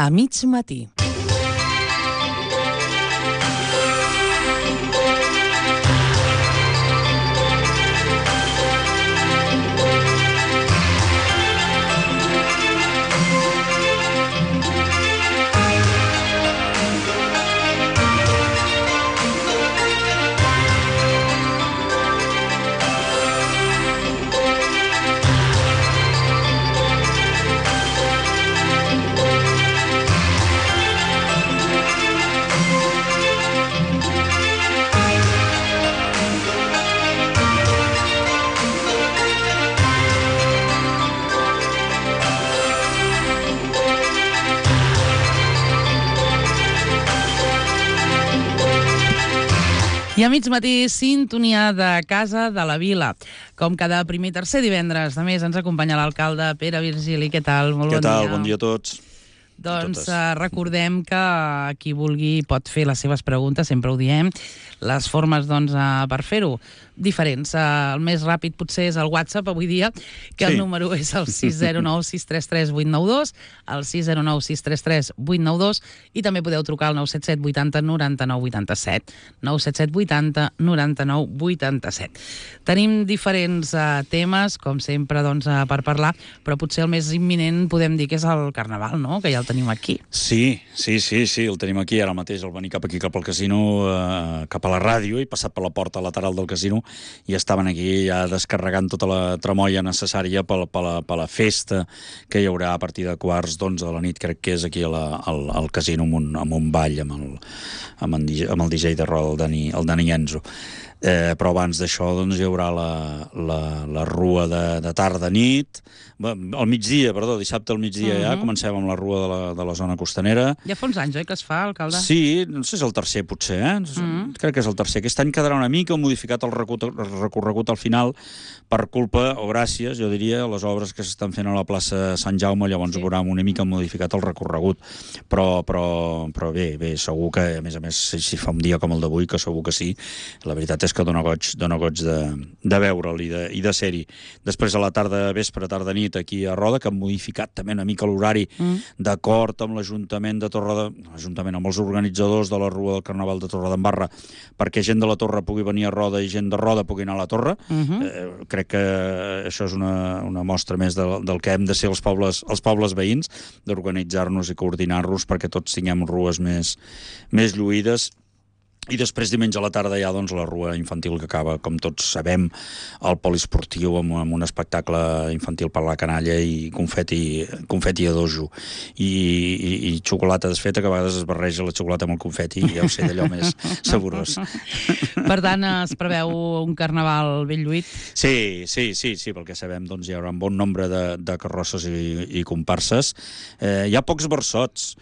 A mig matí. I a mig matí, sintonia de Casa de la Vila. Com cada primer i tercer divendres, a més, ens acompanya l'alcalde Pere Virgili. Què tal? Molt bon dia. Què tal? Bon dia a tots. Doncs recordem que qui vulgui pot fer les seves preguntes, sempre ho diem. Les formes, doncs, per fer-ho diferents. El més ràpid potser és el WhatsApp avui dia, que el número és el 609 633 892, el 609 633 892, i també podeu trucar al 977 80 99 87. 977 80 99 87. Tenim diferents temes, com sempre, doncs, per parlar, però potser el més imminent podem dir que és el Carnaval, no?, que ja el tenim aquí. Sí, el tenim aquí ara mateix, al venir cap aquí, cap al casino, cap a la ràdio, i passat per la porta lateral del casino, i estaven aquí ja descarregant tota la tramoia necessària per la festa que hi haurà a partir de 11:15 de la nit, crec que és aquí al casino, amb un ball amb el DJ de roda, el Dani Enzo. Però abans d'això doncs, hi haurà la rua de tarda-nit, al migdia, perdó, dissabte al migdia ja, comencem amb la rua de la zona costanera. Ja fa uns anys, oi, que es fa, alcalde? Sí, no sé si és el tercer, potser, crec que és el tercer. Aquest any quedarà una mica modificat el recorregut al final per culpa, o gràcies, jo diria, a les obres que s'estan fent a la plaça Sant Jaume, llavors veurà una mica modificat el recorregut. Però bé, segur que, a més, si fa un dia com el d'avui, que segur que sí, la veritat és que dona goig de veure'l i de ser-hi. Després a la tarda, vespre, tarda-nit, aquí a Roda, que han modificat també una mica l'horari d'acord amb l'Ajuntament de l'Ajuntament, amb els organitzadors de la Rua del Carnaval de Torredembarra, perquè gent de la Torre pugui venir a Roda i gent de Roda pugui anar a la Torre. Crec que això és una mostra més del que hem de ser els pobles veïns, d'organitzar-nos i coordinar-nos perquè tots tinguem rues més lluïdes. I després, diumenge a la tarda, hi ha la rua infantil que acaba, com tots sabem, al poliesportiu, amb un espectacle infantil per la canalla i confeti a dojo. I xocolata desfeta, que a vegades es barreja la xocolata amb el confeti, i ja ho sé, d'allò més saborós. Per tant, es preveu un carnaval ben lluït? Sí, pel que sabem, doncs hi haurà un bon nombre de carrosses i comparses. Hi ha pocs versots.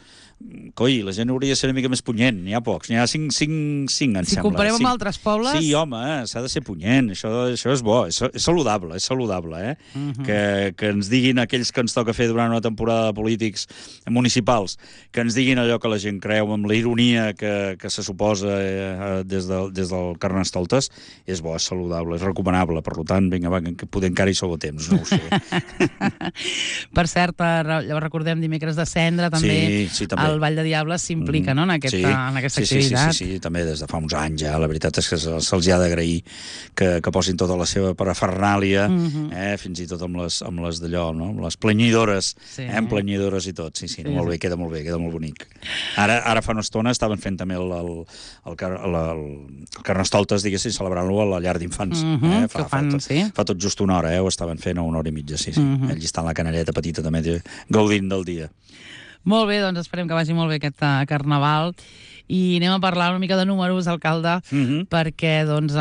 Coi, la gent hauria de ser una mica més punyent. N'hi ha pocs, n'hi ha cinc, em sembla. Si comparem amb altres pobles... Sí, home, s'ha de ser punyent, això és bo, és saludable, que ens diguin aquells que ens toca fer durant una temporada de polítics municipals, que ens diguin allò que la gent creu, amb la ironia que se suposa des del Carnestoltes, és bo, és saludable, és recomanable, per tant, vinga, va, que poder encara hi sou a temps, no ho sé. Per cert, recordem dimecres de Cendra, també, el Ball de Diables s'implica, no?, en aquesta activitat. Sí, també des de fa uns anys ja. La veritat és que se'ls ha d'agrair que posin tota la seva parafernàlia, fins i tot amb les d'allò, no?, amb les planyidores, amb planyidores i tot. Sí, molt bé, queda molt bonic. Ara fa una estona estaven fent també el Carnestoltes, diguéssim, celebrant-lo a la llar d'infants. Fa tot just una hora, ho estaven fent a una hora i mitja, sí. Ells estan a la canalleta petita també, gaudint del dia. Molt bé, doncs esperem que vagi molt bé aquest Carnaval i anem a parlar una mica de números, alcalde, perquè, doncs,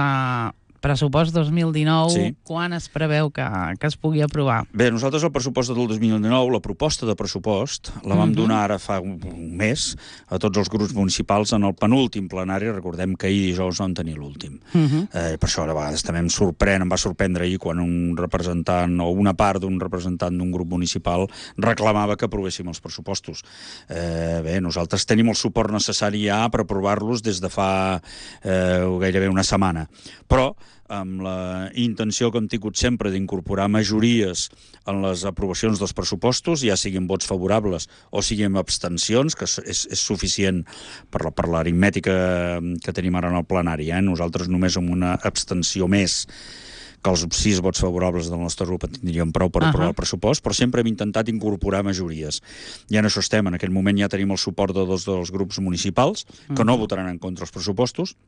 pressupost 2019, quan es preveu que es pugui aprovar? Bé, nosaltres el pressupost del 2019, la proposta de pressupost, la vam donar ara fa un mes a tots els grups municipals en el penúltim plenari. Recordem que ahir dijous vam tenir l'últim. Per això a vegades també em va sorprendre ahir quan un representant o una part d'un representant d'un grup municipal reclamava que aprovéssim els pressupostos. Bé, nosaltres tenim el suport necessari ja per aprovar-los des de fa gairebé una setmana. Però amb la intenció que hem tingut sempre d'incorporar majories en les aprovacions dels pressupostos, ja siguin vots favorables o siguin abstencions, que és suficient per l'aritmètica que tenim ara en el plenari. Nosaltres només amb una abstenció més que els 6 vots favorables del nostre grup en tindríem prou per aprovar el pressupost, però sempre hem intentat incorporar majories. I en això estem. En aquest moment ja tenim el suport de 2 dels grups municipals, que no votaran en contra els pressupostos,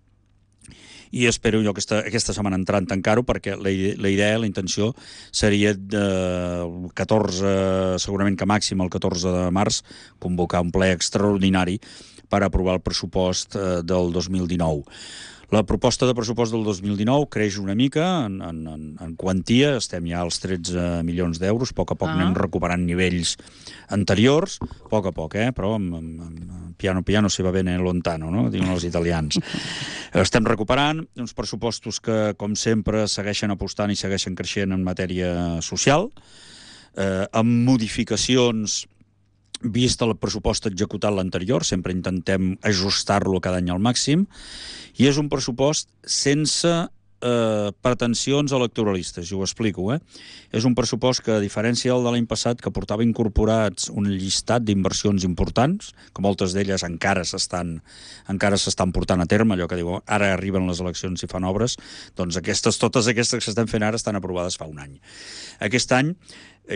i espero jo aquesta setmana entrant tancar-ho, perquè la idea, la intenció seria el 14, segurament que màxim el 14 de març, convocar un ple extraordinari per aprovar el pressupost del 2019. La proposta de pressupost del 2019 creix una mica en quantia, estem ja als 13 milions d'euros, a poc anem recuperant nivells anteriors, a poc, però piano se va bene lontano, no? Diuen els italians. Estem recuperant uns pressupostos que, com sempre, segueixen apostant i segueixen creixent en matèria social, amb modificacions vist el pressupost executat l'anterior, sempre intentem ajustar-lo cada any al màxim, i és un pressupost sense pretensions electoralistes, i ho explico. És un pressupost que, a diferència del de l'any passat, que portava incorporats un llistat d'inversions importants, que moltes d'elles encara s'estan portant a terme, allò que diu, ara arriben les eleccions i fan obres, doncs totes aquestes que s'estan fent ara estan aprovades fa un any. Aquest any,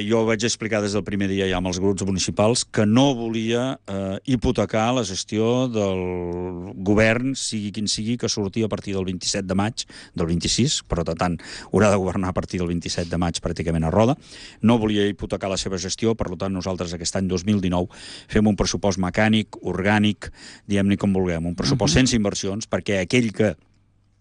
jo vaig explicar des del primer dia ja amb els grups municipals que no volia hipotecar la gestió del govern, sigui quin sigui, que surti a partir del 27 de maig, del 26, per tant, haurà de governar a partir del 27 de maig pràcticament a roda. No volia hipotecar la seva gestió, per tant, nosaltres aquest any 2019 fem un pressupost mecànic, orgànic, diguem-ne com vulguem, un pressupost sense inversions, perquè aquell que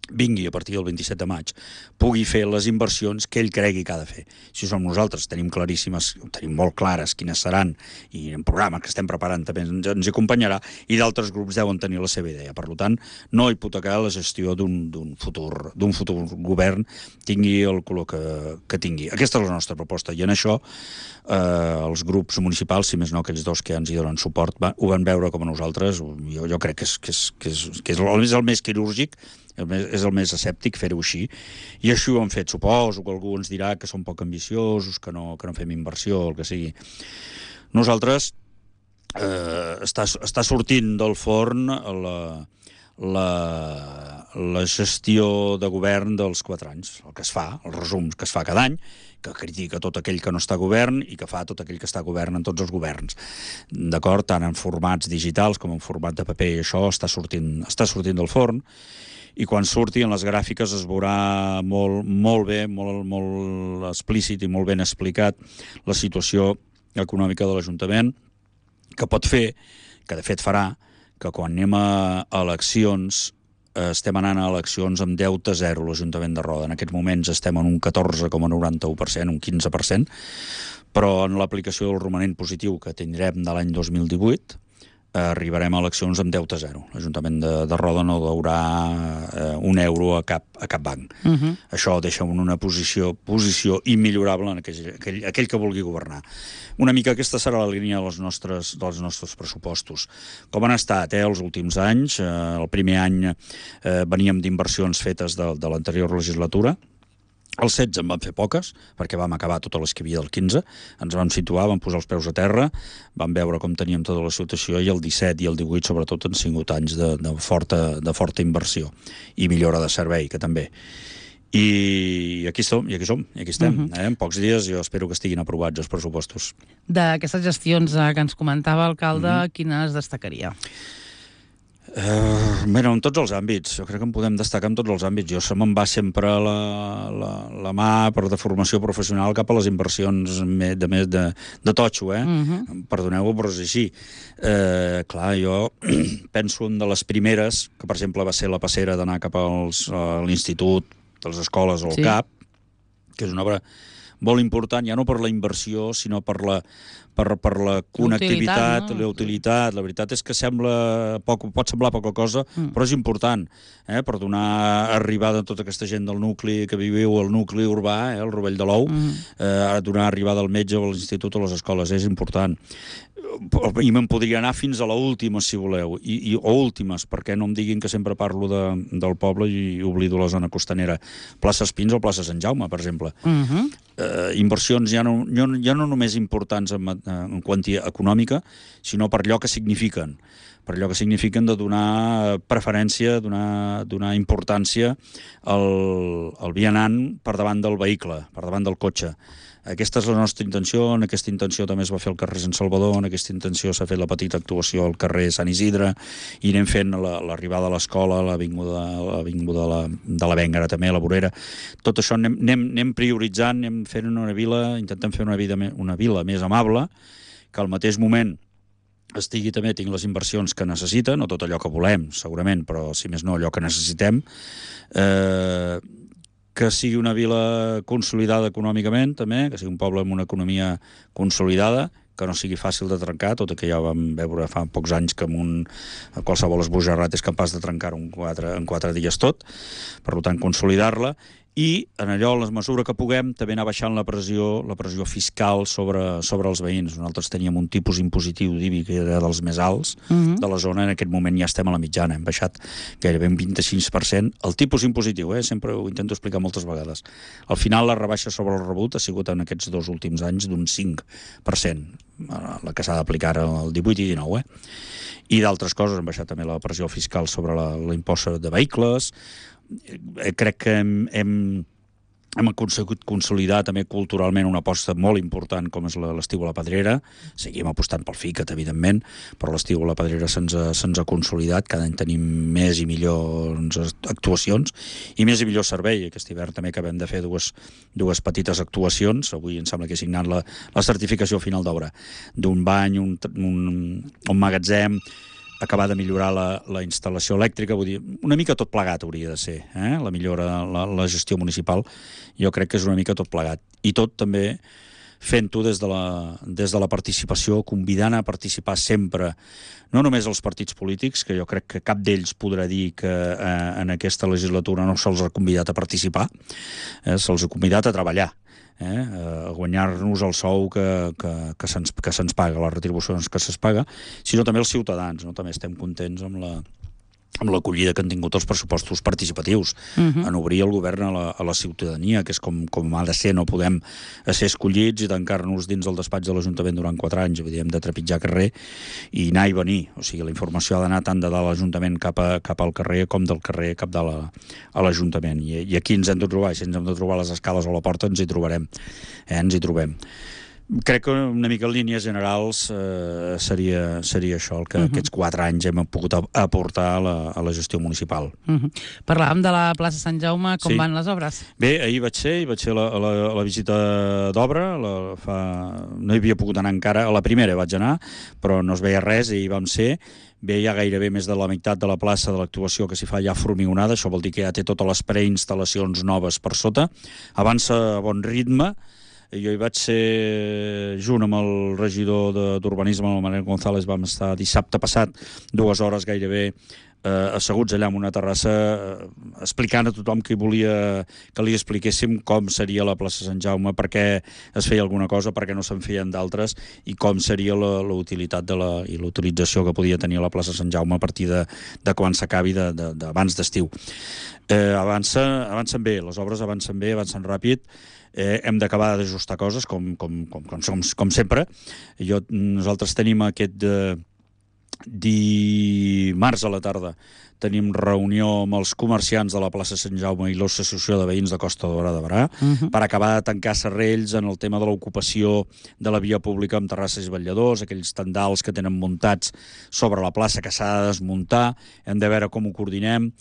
vingui a partir del 27 de maig, pugui fer les inversions que ell cregui que ha de fer. Si som nosaltres, tenim claríssimes, tenim molt clares quines seran, i en programa que estem preparant també ens acompanyarà, i d'altres grups deuen tenir la seva idea. Per tant, no hipotecar la gestió d'un futur govern, tingui el color que tingui. Aquesta és la nostra proposta, i en això els grups municipals, si més no aquells 2 que ens hi donen suport, ho van veure com a nosaltres. Jo crec que és el més quirúrgic, és el més escèptic fer-ho així, i així ho han fet. Suposo que algú ens dirà que som poc ambiciosos, que no fem inversió, el que sigui. Nosaltres està sortint del forn la gestió de govern dels 4 anys, el que es fa, els resums que es fa cada any, que critica tot aquell que no està a govern i que fa tot aquell que està a govern en tots els governs. D'acord? Tant en formats digitals com en format de paper, i això està sortint del forn, i quan surti en les gràfiques es veurà molt bé, molt explícit i molt ben explicat la situació econòmica de l'Ajuntament, que pot fer, que de fet farà, que quan anem a eleccions estem anant a eleccions amb deute zero a l'Ajuntament de Roda. En aquests moments estem en un 14,91%, un 15%, però en l'aplicació del romanent positiu que tindrem de l'any 2018 arribarem a eleccions amb deute zero. L'Ajuntament de Roda no deurà un euro a cap banc. Això deixa en una posició immillorable en aquell que vulgui governar. Una mica aquesta serà la línia dels nostres pressupostos. Com han estat els últims anys? El primer any veníem d'inversions fetes de l'anterior legislatura. El 16 en vam fer poques, perquè vam acabar totes les que hi havia del 15, ens vam situar, vam posar els peus a terra, vam veure com teníem tota la situació, i el 17 i el 18 sobretot han sigut anys de forta inversió i millora de servei, que també. I aquí som, i aquí estem. En pocs dies jo espero que estiguin aprovats els pressupostos. D'aquestes gestions que ens comentava, alcalde, quines destacaria? En tots els àmbits, jo crec que en podem destacar en tots els àmbits. Jo se me'n va sempre la mà per de formació professional cap a les inversions de totxo, Perdoneu-ho, però és així. Clar, jo penso en de les primeres, que per exemple va ser la passera d'anar cap a l'institut, de les escoles o al CAP, que és una obra molt important, ja no per la inversió, sinó per la connectivitat, la utilitat. La veritat és que pot semblar poca cosa, però és important, per donar arribada a tota aquesta gent del nucli que viviu al nucli urbà, el Rovell de l'Ou, donar arribada al metge o a l'institut o a les escoles, és important. I me'n podria anar fins a l'última, si voleu, o últimes, perquè no em diguin que sempre parlo del poble i oblido la zona costanera. Plaça Espins o plaça Sant Jaume, per exemple. Inversions ja no només importants en quantia econòmica, sinó per allò que signifiquen. Per allò que signifiquen de donar preferència, donar importància al vianant per davant del vehicle, per davant del cotxe. Aquesta és la nostra intenció, en aquesta intenció també es va fer el carrer Sant Salvador, en aquesta intenció s'ha fet la petita actuació al carrer Sant Isidre, i anem fent l'arribada a l'escola, l'avinguda de la Bèngara també, la Vorera. Tot això anem prioritzant, anem fent una vila, intentem fer una vila més amable, que al mateix moment tinc les inversions que necessita, no tot allò que volem, segurament, però si més no allò que necessitem, que sigui una vila consolidada econòmicament, també, que sigui un poble amb una economia consolidada, que no sigui fàcil de trencar, tot i que ja vam veure fa pocs anys que qualsevol esbojarrat és capaç de trencar-ho en 4 dies tot, per tant, consolidar-la, i en allò, en la mesura que puguem, també anar baixant la pressió fiscal sobre els veïns. Nosaltres teníem un tipus impositiu d'IBI que era dels més alts de la zona, en aquest moment ja estem a la mitjana, hem baixat gairebé un 25%. El tipus impositiu, sempre ho intento explicar moltes vegades. Al final, la rebaixa sobre el rebut ha sigut en aquests 2 últims anys d'un 5%, la que s'ha d'aplicar el 18 i 19, I d'altres coses, hem baixat també la pressió fiscal sobre l'impost de vehicles. Crec que hem aconseguit consolidar també culturalment una aposta molt important com és l'estiu a la Pedrera. Seguim apostant pel FICAT, evidentment, però l'estiu a la Pedrera se'ns ha consolidat. Cada any tenim més i millors actuacions i més i millor servei. Aquest hivern també acabem de fer dues petites actuacions. Avui em sembla que he signat la certificació final d'obra d'un bany, un magatzem, acabar de millorar la instal·lació elèctrica, vull dir, una mica tot plegat hauria de ser, la millora, la gestió municipal, jo crec que és una mica tot plegat. I tot també fent-ho des de la participació, convidant a participar sempre, no només els partits polítics, que jo crec que cap d'ells podrà dir que en aquesta legislatura no se'ls ha convidat a participar, se'ls ha convidat a treballar, a guanyar-nos el sou que se'ns paga, les retribucions que se'ns paga, sinó també els ciutadans, no? També estem contents amb l'acollida que han tingut els pressupostos participatius, en obrir el govern a la ciutadania, que és com ha de ser. No podem ser escollits i tancar-nos dins el despatx de l'Ajuntament durant 4 anys, hem de trepitjar carrer i anar i venir. O sigui, la informació ha d'anar tant de dalt l'Ajuntament cap al carrer com del carrer cap a l'Ajuntament. I aquí ens hem de trobar, si ens hem de trobar a les escales o a la porta, ens hi trobarem. Ens hi trobem. Crec que una mica en línies generals seria això, el que aquests 4 anys hem pogut aportar a la gestió municipal. Parlàvem de la plaça Sant Jaume, com van les obres? Bé, ahir vaig ser a la visita d'obra, no hi havia pogut anar encara, a la primera vaig anar, però no es veia res i hi vam ser. Bé, hi ha gairebé més de la meitat de la plaça de l'actuació que s'hi fa ja formigonada, això vol dir que ja té totes les preinstal·lacions noves per sota, avança a bon ritme. Jo hi vaig ser junt amb el regidor d'Urbanisme, el Manuel González, vam estar dissabte passat 2 hores gairebé asseguts allà en una terrassa explicant a tothom que volia que li expliquéssim com seria la plaça Sant Jaume, per què es feia alguna cosa, per què no se'n feien d'altres i com seria la utilitat i la utilització que podia tenir la plaça Sant Jaume a partir de quan s'acabi d'abans d'estiu. Avancen bé, les obres avancen bé, avancen ràpid. Hem d'acabar d'ajustar coses, com sempre. Nosaltres tenim aquest dimarts a la tarda tenim reunió amb els comerciants de la plaça Sant Jaume i l'Associació de Veïns de Costa Daurada de Berà per acabar de tancar serrells en el tema de l'ocupació de la via pública amb terrasses i vetlladors, aquells tendals que tenen muntats sobre la plaça que s'ha de desmuntar. Hem de veure com ho coordinem.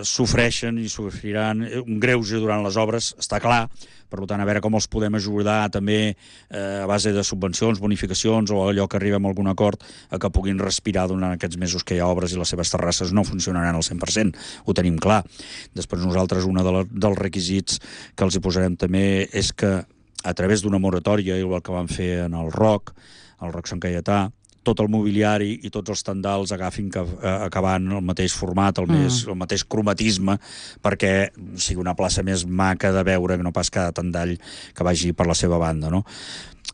Sofreixen i sofriran un greuge durant les obres, està clar, Per tant, a veure com els podem ajudar també a base de subvencions, bonificacions o allò que arribem a algun acord a que puguin respirar durant aquests mesos que hi ha obres i les seves terrasses no funcionaran al 100%, ho tenim clar. Després nosaltres, un dels requisits que els hi posarem també és que a través d'una moratòria, igual que vam fer en el ROC Sant Caietà, tot el mobiliari i tots els tendals agafin acabant el mateix format, el mateix cromatisme, perquè sigui una plaça més maca de veure que no pas cada tendall que vagi per la seva banda, no?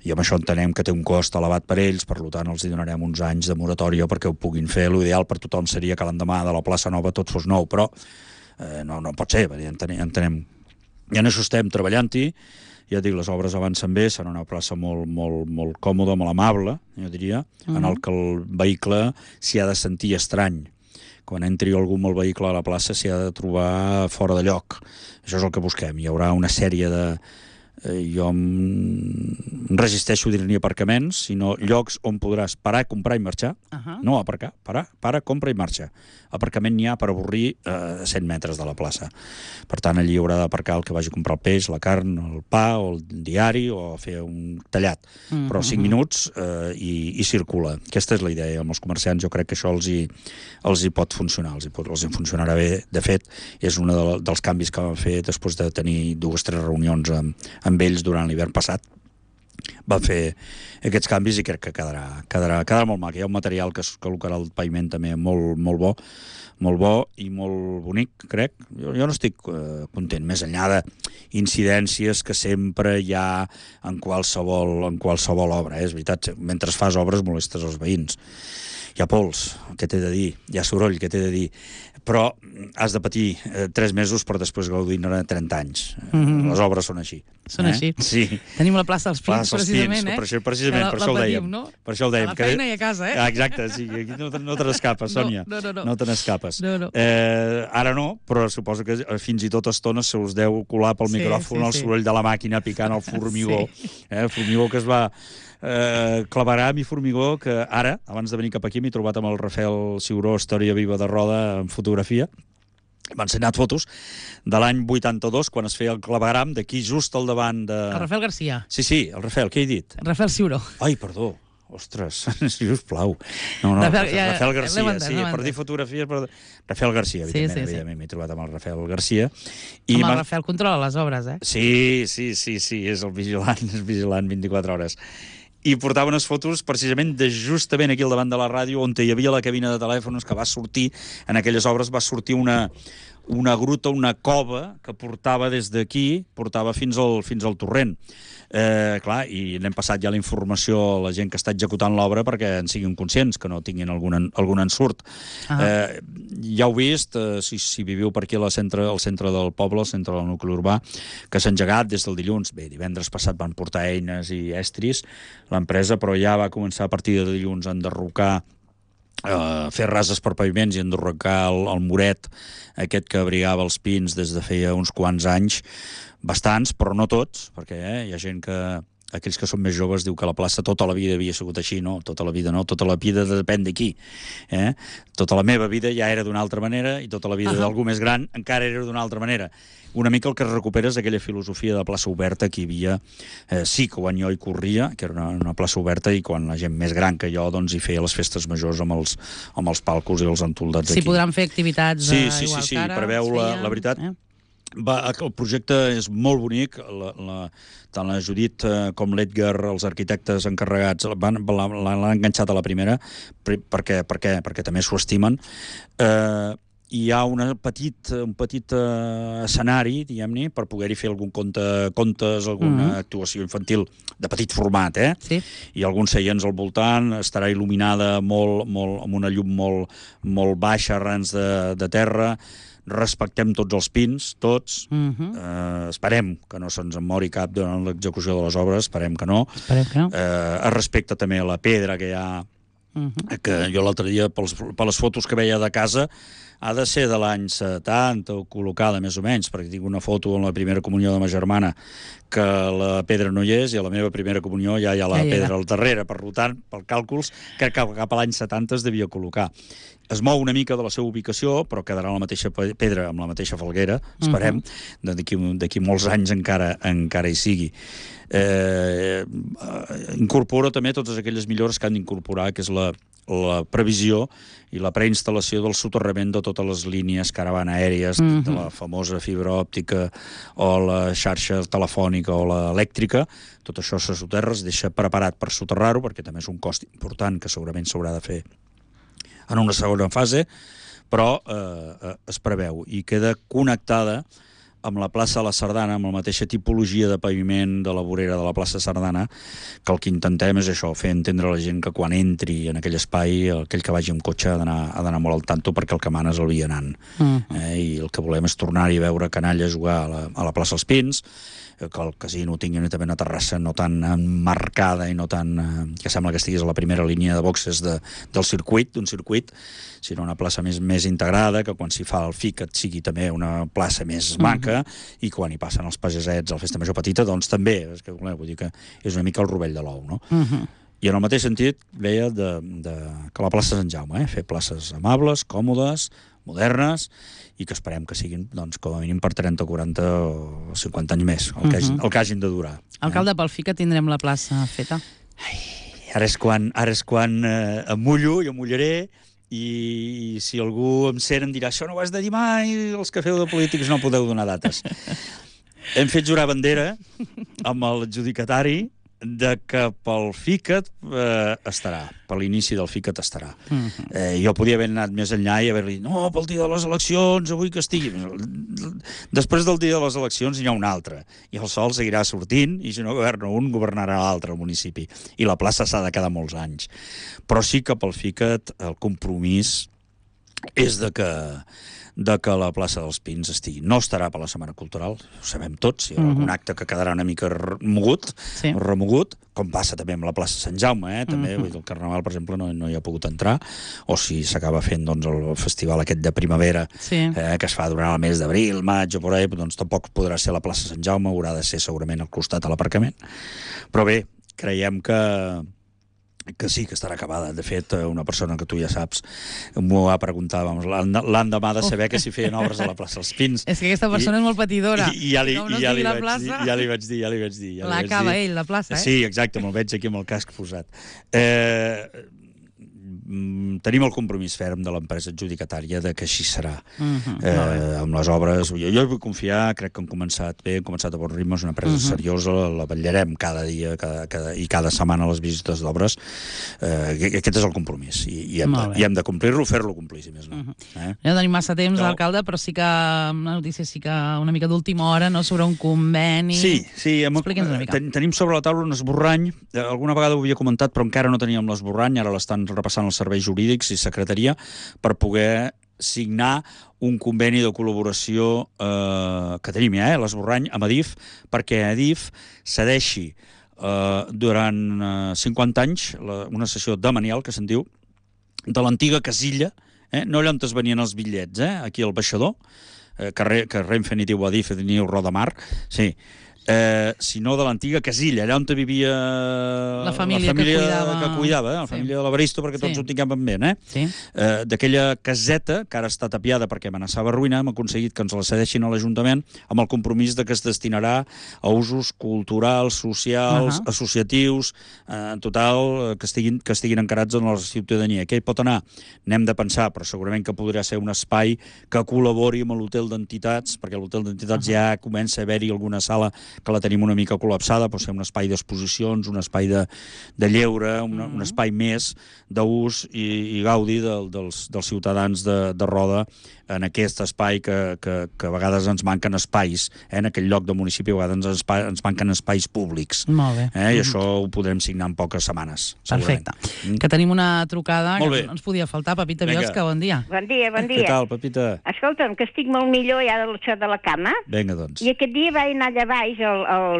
I amb això entenem que té un cost elevat per ells, per tant els hi donarem uns anys de moratòria perquè ho puguin fer. L'ideal per tothom seria que l'endemà de la plaça nova tot fos nou, però no pot ser, entenem. I en això estem treballant-hi. Ja et dic, les obres avancen bé, serà una plaça molt còmoda, molt amable, jo diria, en el que el vehicle s'hi ha de sentir estrany. Quan entri algú amb el vehicle a la plaça s'hi ha de trobar fora de lloc. Això és el que busquem. Hi haurà una sèrie de... Jo em resisteixo a dir-ne aparcaments, sinó llocs on podràs parar, comprar i marxar. No aparcar, para, compra i marxa. Aparcament n'hi ha per avorrir a 100 metres de la plaça. Per tant, allí haurà d'aparcar el que vagi a comprar el peix, la carn, el pa o el diari o fer un tallat. Però 5 minuts i circula. Aquesta és la idea. Amb els comerciants jo crec que això els hi pot funcionar, els hi funcionarà bé. De fet, és un dels canvis que vam fer després de tenir 2 o 3 reunions amb ells durant l'hivern passat. Van fer aquests canvis i crec que quedarà molt mac. Hi ha un material que es col·locarà al paviment també molt bo i molt bonic, crec. Jo no estic content, més enllà d'incidències que sempre hi ha en qualsevol obra. És veritat, mentre fas obres molestes els veïns. Hi ha pols, què t'he de dir? Hi ha soroll, què t'he de dir? Però has de patir 3 mesos per després gaudir-ne 30 anys. Les obres són així. Són així. Sí. Tenim la plaça dels Pins, precisament, Precisament, per això ho dèiem. Per això ho dèiem. A la feina i a casa, Exacte, sí. Aquí no te n'escapes, Sònia. No te n'escapes. No. Ara no, però suposo que fins i tot estones se us deu colar pel micròfon el soroll de la màquina picant el formigó. Formigó que es va... claveram i formigó que ara, abans de venir cap aquí, m'he trobat amb el Rafael Ciuró, Història Viva de Roda, en fotografia. M'ha ensenyat fotos de l'any 82, quan es feia el clavegram, d'aquí just al davant de... El Rafael Garcia. Sí, el Rafael, què he dit? Rafael Ciuró. Ai, perdó. Ostres, si us plau. No, Rafael Garcia, sí, per dir fotografies... Rafael Garcia, evidentment, m'he trobat amb el Rafael Garcia. Amb el Rafael controla les obres, eh? Sí, és el vigilant 24 hores. I portava unes fotos precisament de justament aquí al davant de la ràdio on hi havia la cabina de telèfons que va sortir, en aquelles obres va sortir una gruta, una cova que portava des d'aquí, portava fins al torrent. Clar, i n'hem passat ja la informació a la gent que està executant l'obra perquè en siguin conscients, que no tinguin algun ensurt. Ja heu vist, si viviu per aquí al centre del poble, al centre del nucli urbà, que s'ha engegat des del dilluns. Bé, divendres passat van portar eines i estris l'empresa, però ja va començar a partir de dilluns a enderrocar, fer rases per paviments i enderrocar el muret aquest que abrigava els pins des de feia uns quants anys, bastants, però no tots, perquè hi ha gent que, aquells que són més joves, diu que la plaça tota la vida havia sigut així. No, tota la vida no, tota la vida depèn d'aquí. Tota la meva vida ja era d'una altra manera i tota la vida d'algú més gran encara era d'una altra manera. Una mica el que es recupera és aquella filosofia de plaça oberta que hi havia, sí, que quan jo hi corria, que era una plaça oberta, i quan la gent més gran que jo doncs hi feia les festes majors amb els palcos i els entoldats aquí. Sí, podran fer activitats igual que ara. Sí, preveu la veritat. El projecte és molt bonic, tant la Judit com l'Edgar, els arquitectes encarregats, l'han enganxat a la primera, perquè també s'ho estimen. Hi ha un petit escenari, diguem-ne, per poder-hi fer algun contes, alguna actuació infantil de petit format, Sí. I alguns seients al voltant, estarà il·luminada amb una llum molt baixa, arrans de terra. Respectem tots els pins, tots. Esperem que no se'ns en mori cap durant l'execució de les obres, esperem que no. Es respecta també la pedra que hi ha, que jo l'altre dia, per les fotos que veia de casa, ha de ser de l'any 70 o col·locada més o menys, perquè tinc una foto en la primera comunió de ma germana que la pedra no hi és, i a la meva primera comunió ja hi ha la pedra al darrere. Per tant, per càlculs, crec que cap a l'any 70 es devia col·locar. es mou una mica de la seva ubicació, però quedarà la mateixa pedra amb la mateixa falguera, esperem, d'aquí molts anys encara hi sigui. Incorpora també totes aquelles millores que han d'incorporar, que és la previsió i la preinstal·lació del soterrament de totes les línies caravana aèries, de la famosa fibra òptica o la xarxa telefònica o l'elèctrica. Tot això se soterra, es deixa preparat per soterrar-ho, perquè també és un cost important que segurament s'haurà de fer en una segona fase, però es preveu i queda connectada amb la plaça de la Sardana, amb la mateixa tipologia de paviment de la vorera de la plaça Sardana, que el que intentem és això, fer entendre a la gent que quan entri en aquell espai, aquell que vagi amb cotxe ha d'anar molt al tanto, perquè el que mana és el vianant. I el que volem és tornar-hi a veure canalla jugar a la plaça Els Pins, que el casino tingui també una terrassa no tan emmarcada i no tan... que sembla que estiguis a la primera línia de boxes d'un circuit, sinó una plaça més integrada, que quan s'hi fa el FICAT sigui també una plaça més maca, i quan hi passen els pagesets a la festa major petita, doncs també, vull dir que és una mica el rovell de l'ou, no? I en el mateix sentit veia que la plaça Sant Jaume, fer places amables, còmodes, modernes, i que esperem que siguin, doncs, com a mínim per 30, 40 o 50 anys més, el que hagin de durar. Alcalde, pel FICA tindrem la plaça feta? Ara és quan em mullo, jo mullaré, i si algú em sent em dirà això no ho has de dir mai, els que feu de polítics no podeu donar dates. Hem fet jurar bandera amb l'adjudicatari de que pel FICAT estarà, per l'inici del FICAT estarà. Jo podia haver anat més enllà i haver-li dit, no, pel dia de les eleccions, avui que estigui. Després del dia de les eleccions n'hi ha un altre, i el sol seguirà sortint, i si no governa un, governarà l'altre al municipi. I la plaça s'ha de quedar molts anys. Però sí que pel FICAT el compromís és de que la plaça dels Pins estigui. No estarà per la Setmana Cultural, ho sabem tots, hi ha algun acte que quedarà una mica remogut, com passa també amb la plaça Sant Jaume, també, el Carnaval, per exemple, no hi ha pogut entrar, o si s'acaba fent doncs, el festival aquest de primavera, que es fa durant el mes d'abril, maig o por ahí, doncs tampoc podrà ser la plaça Sant Jaume, haurà de ser segurament al costat a l'aparcament. Però bé, creiem que sí, que estarà acabada. De fet, una persona que tu ja saps m'ho va preguntar l'endemà de saber que s'hi feien obres a la plaça Els Pins. És que aquesta persona és molt patidora. I ja li vaig dir. L'acaba ell, la plaça, Sí, exacte, me'l veig aquí amb el casc posat. Tenim el compromís ferm de l'empresa adjudicatària de que així serà. Amb les obres, jo hi vull confiar, crec que han començat bé, han començat a bon ritme, és una empresa seriosa, la vetllarem cada dia i cada setmana a les visites d'obres. Aquest és el compromís i hem de complir-lo, fer-lo complir, si més no. No tenim massa temps, alcalde, però sí que una notícia una mica d'última hora, sobre un conveni. Sí, expliqui'ns una mica. Tenim sobre la taula un esborrany, alguna vegada ho havia comentat, però encara no teníem l'esborrany, ara l'estan repassant els serveis jurídics i secretaria per poder signar un conveni de col·laboració que tenim ja, l'esborrany, amb Adif, perquè Adif cedeixi durant 50 anys una sessió demanial, que se'n diu, de l'antiga casilla, no allà on es venien els bitllets, aquí al baixador, que Renfe ni diu Adif ni diu Rodamar, sí, sinó de l'antiga casilla, allà on vivia la família que cuidava, la família de l'Evaristo, perquè tots ho tinguem en ment, d'aquella caseta, que ara està tapiada perquè amenaçava ruïna, hem aconseguit que ens la cedeixin a l'Ajuntament amb el compromís de que es destinarà a usos culturals, socials, associatius, en total, que estiguin encarats en la ciutadania. Què hi pot anar? N'hem de pensar, però segurament que podrà ser un espai que col·labori amb l'hotel d'entitats, perquè l'hotel d'entitats ja comença a haver-hi alguna sala que la tenim una mica col·lapsada, pot ser un espai d'exposicions, un espai de lleure, un espai més d'ús i gaudi dels ciutadans de Roda en aquest espai que a vegades ens manquen espais, en aquell lloc del municipi a vegades ens manquen espais públics. Molt bé. I això ho podrem signar en poques setmanes. Perfecte. Que tenim una trucada que no ens podia faltar. Pepita Biosca, bon dia. Bon dia. Què tal, Pepita? Escolta'm, que estic molt millor ja de la cama. Vinga, doncs. I aquest dia vaig anar allà baix,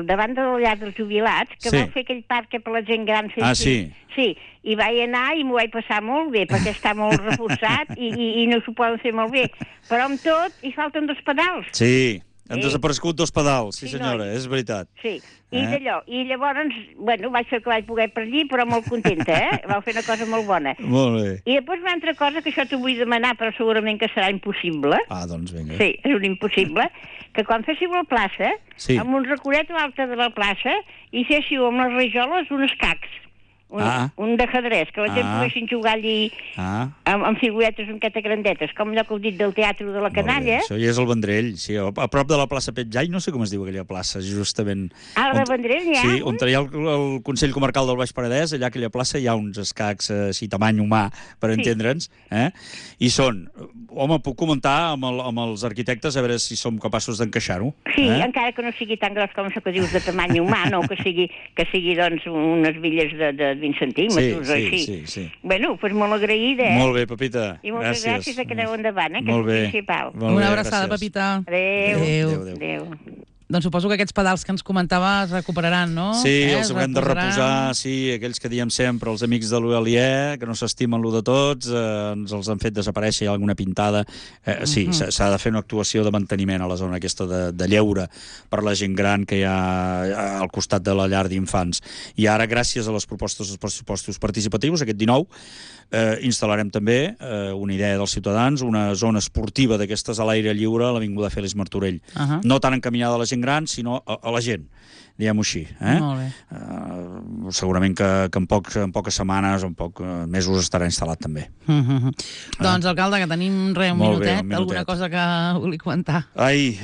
davant del llar dels jubilats, que vol fer aquell parc per la gent gran. Sí. Sí, i vaig anar i m'ho vaig passar molt bé, perquè està molt reforçat i no s'ho poden fer molt bé. Però amb tot, hi falten 2 pedals. Sí, Han desaparegut 2 pedals, sí senyora, és veritat. Sí, i d'allò. I llavors, bueno, vaig fer el que vaig poder per allí, però molt contenta, Vau fer una cosa molt bona. Molt bé. I després una altra cosa que això t'ho vull demanar, però segurament que serà impossible. Doncs vinga. Sí, és un impossible, que quan féssiu la plaça, amb un recuret a l'alta de la plaça, hi féssiu amb les rajoles uns escacs. Un d'ajedrès, que la gent poguessin jugar allí amb figuretes un queta grandetes, com allò que heu dit del Teatre de la Canalla. Això ja és el Vendrell, sí, a prop de la plaça Petjai, no sé com es diu aquella plaça, justament... Ah, el de Vendrell hi ha? Sí, on hi ha el Consell Comarcal del Baix Penedès, allà a aquella plaça hi ha uns escacs així, tamany humà, per entendre'ns, i són... Home, puc comentar amb els arquitectes a veure si som capaços d'encaixar-ho. Sí, encara que no sigui tan gros com això que dius de tamany humà, no, que sigui doncs, unes billes de 20 centímetres, així. Sí. Bueno, doncs molt agraïda, Molt bé, Pepita. I moltes gràcies que aneu endavant, que és el principal. Una abraçada, Pepita. Adéu. Doncs suposo que aquests pedals que ens comentaves recuperaran, no? Sí, els haurem de reposar, sí, aquells que diem sempre, els amics de l'Uelier, que no s'estimen lo de tots, ens els han fet desaparèixer, hi ha alguna pintada. Sí, s'ha de fer una actuació de manteniment a la zona aquesta de lleure per la gent gran que hi ha al costat de la llar d'infants. I ara, gràcies a les propostes dels pressupostos participatius, aquest 19, instal·larem també una idea dels ciutadans, una zona esportiva d'aquestes a l'aire lliure a l'Avinguda Fèlix Martorell. No tan encaminada a la gent gran, sinó a la gent, diguem-ho així. Molt bé. Segurament que en poques setmanes o en pocs mesos estarà instal·lat també. Doncs, alcalde, que tenim un minutet, alguna cosa que vulgui comentar? Ai,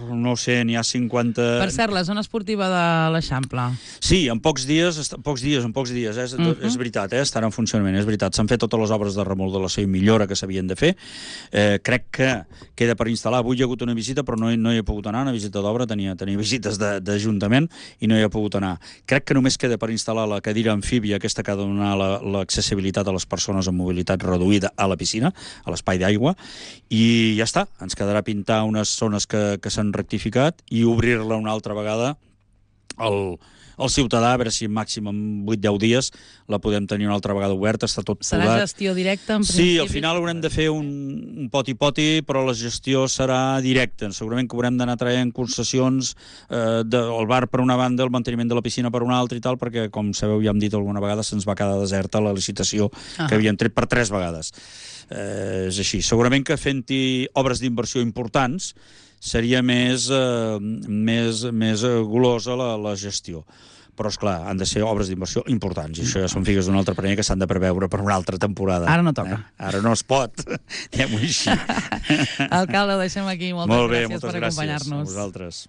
no sé, n'hi ha 50... Per cert, la zona esportiva de l'Eixample. Sí, en pocs dies, és veritat, estarà en funcionament, és veritat. S'han fet totes les obres de remodelació i millora que s'havien de fer. Crec que queda per instal·lar. Avui hi ha hagut una visita, però no hi he pogut anar, una visita d'obra, tenia visites d'Ajuntament i no hi he pogut anar. Crec que només queda per instal·lar la cadira amfíbia, aquesta que ha de donar l'accessibilitat a les persones amb mobilitat reduïda a la piscina, a l'espai d'aigua, i ja està. Ens quedarà pintar unes zones que s'han rectificat i obrir-la una altra vegada al ciutadà, a veure si màxim en 8-10 dies la podem tenir una altra vegada oberta, està tot podat. Serà gestió directa, en principi? Sí, al final haurem de fer un poti-poti, però la gestió serà directa. Segurament que haurem d'anar traient concessions del bar per una banda, el manteniment de la piscina per una altra i tal, perquè, com sabeu, ja hem dit alguna vegada, se'ns va quedar deserta la licitació que havíem tret per 3 vegades. És així. Segurament que fent-hi obres d'inversió importants seria més golosa la gestió. Però, esclar, han de ser obres d'inversió importants, i això ja són figues d'un altre parer que s'han de preveure per una altra temporada. Ara no toca. Ara no es pot, diguem-ho així. Alcalde, ho deixem aquí. Moltes gràcies per acompanyar-nos. Molt bé, moltes gràcies a vosaltres.